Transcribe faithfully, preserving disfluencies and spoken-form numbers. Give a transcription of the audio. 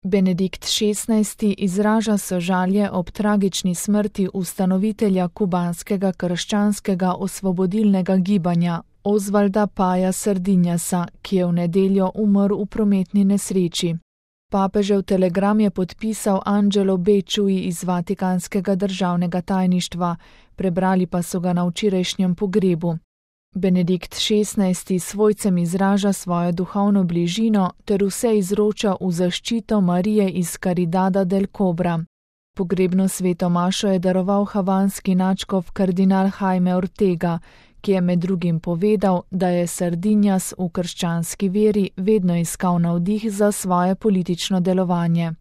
Benedikt šestnajsti izraža sožalje ob tragični smrti ustanovitelja kubanskega krščanskega osvobodilnega gibanja Osvalda Paya Sardinjasa, ki je v nedeljo umrl v prometni nesreči. Papežev telegram je podpisal Angelo Becciui iz Vatikanskega državnega tajništva, prebrali pa so ga na včerajšnjem pogrebu. Benedikt šestnajsti svojcem izraža svojo duhovno bližino ter vse izroča v zaščito Marije iz Caridada del Cobra. Pogrebno sveto mašo je daroval havanski nadškof kardinal Jaime Ortega, ki je med drugim povedal, da je Sardinjas v krščanski veri vedno iskal navdih za svoje politično delovanje.